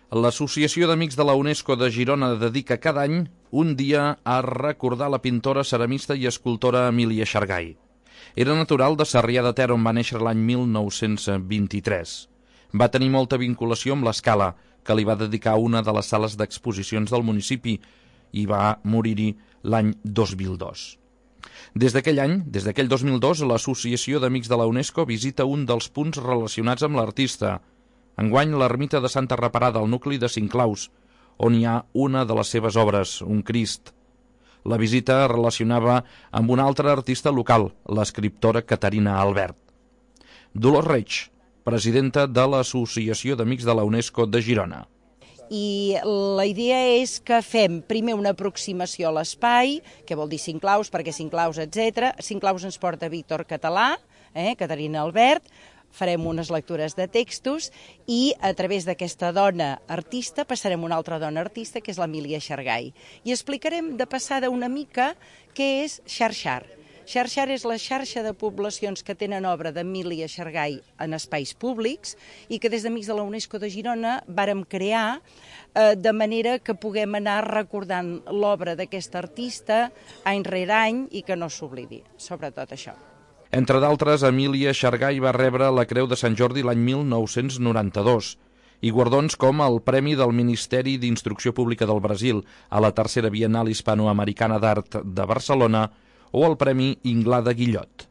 L'Associació d'Amics de la UNESCO de Girona dedica cada any un dia a recordar la pintora, ceramista i escultora Emília Xargay. Era natural de Sarrià de Ter, on va néixer l'any 1923. Va tenir molta vinculació amb l'Escala, que li va dedicar una de les sales d'exposicions del municipi, i va morir-hi l'any 2002. Des d'aquell 2002, l'Associació d'Amics de la UNESCO visita un dels punts relacionats amb l'artista. Enguany, l'ermita de Santa Reparada, al nucli de Sinclaus, on hi ha una de les seves obres, un Crist. La visita relacionava amb una altra artista local, l'escriptora Caterina Albert. Dolors Reig, presidenta de l'Associació d'Amics de la UNESCO de Girona. I la idea és que fem primer una aproximació a l'espai, que vol dir Sinclaus, perquè Sinclaus, etc. Sinclaus ens porta Víctor Català, Caterina Albert, farem unes lectures de textos i a través d'aquesta dona artista passarem a una altra dona artista, que és l'Emília Xargay. I explicarem de passada una mica què és Xarxar. Xarxar és la xarxa de poblacions que tenen obra d'Emília Xargay en espais públics i que des d'Amics de la UNESCO de Girona vàrem crear de manera que puguem anar recordant l'obra d'aquesta artista any rere any i que no s'oblidi, sobretot això. Entre d'altres, Emília Xargay va rebre la Creu de Sant Jordi l'any 1992 i guardons com el Premi del Ministeri d'Instrucció Pública del Brasil a la Tercera Biennal Hispanoamericana d'Art de Barcelona o el Premi Inglada Guillot.